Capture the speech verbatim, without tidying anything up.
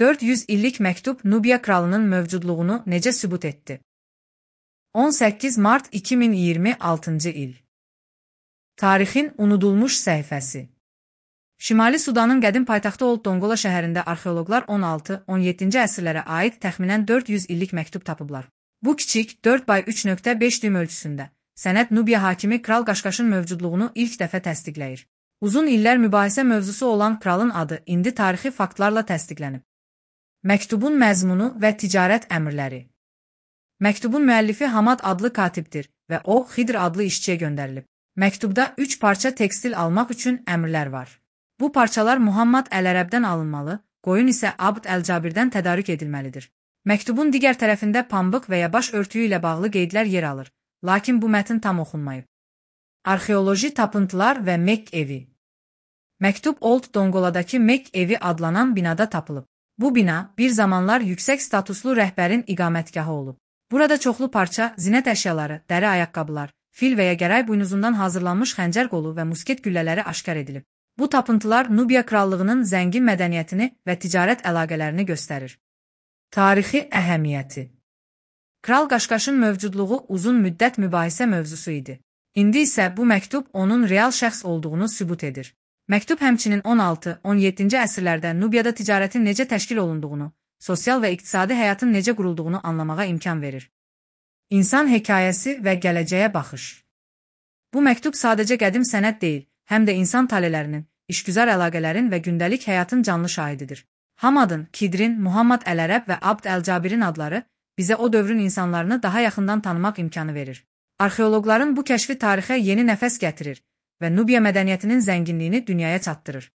dörd yüz illik məktub Nubiya kralının mövcudluğunu necə sübut etdi? on səkkiz mart iki min iyirmi altıncı il. Tarixin unudulmuş səhifəsi. Şimali Sudanın qədim paytaxtı Old Dongola şəhərində arxeoloqlar on altı on yeddinci əsrlərə aid təxminən dörd yüz illik məktub tapıblar. Bu kiçik dörd by üç nöqtə beş düym ölçüsündə sənəd Nubiya hakimi Kral Qaşqaşın mövcudluğunu ilk dəfə təsdiqləyir. Uzun illər mübahisə mövzusu olan kralın adı indi tarixi faktlarla təsdiqlənib. Məktubun məzmunu və ticarət əmrləri. Məktubun müəllifi Hamad adlı katibdir və o, Xidr adlı işçiyə göndərilib. Məktubda üç parça tekstil almaq üçün əmrlər var. Bu parçalar Muhammad Əl-Ərəbdən alınmalı, qoyun isə Abd Əl-Cabirdən tədarük edilməlidir. Məktubun digər tərəfində pambıq və ya baş örtüyü ilə bağlı qeydlər yer alır, lakin bu mətn tam oxunmayıb. Arxeoloji tapıntılar və Mekk evi. Məktub Old Dongoladakı Mekk evi adlanan binada tapılıb. Bu bina bir zamanlar yüksək statuslu rəhbərin iqamətgahı olub. Burada çoxlu parça, zinət əşyaları, dəri ayaqqabılar, fil və ya gəray buynuzundan hazırlanmış xəncər qolu və musket güllələri aşkar edilib. Bu tapıntılar Nubiya krallığının zəngin mədəniyyətini və ticarət əlaqələrini göstərir. Tarixi əhəmiyyəti. Kral Qaşqaşın mövcudluğu uzun müddət mübahisə mövzusu idi. İndi isə bu məktub onun real şəxs olduğunu sübut edir. Məktub həmçinin on altı on yeddinci əsrlərdə Nubiyada ticarətin necə təşkil olunduğunu, sosial və iqtisadi həyatın necə qurulduğunu anlamağa imkan verir. İnsan hekayəsi və gələcəyə baxış. Bu məktub sadəcə qədim sənəd deyil, həm də insan talelərinin, işgüzar əlaqələrin və gündəlik həyatın canlı şahididir. Hamadın, Kidrin, Muhammad Əl-Ərəb və Abd Əl-Cabirin adları bizə o dövrün insanlarını daha yaxından tanımaq imkanı verir. Arxeoloqların bu kəşfi tarixə yeni nəfəs gətirir və Nubiya mədəniyyətinin zənginliyini dünyaya çatdırır.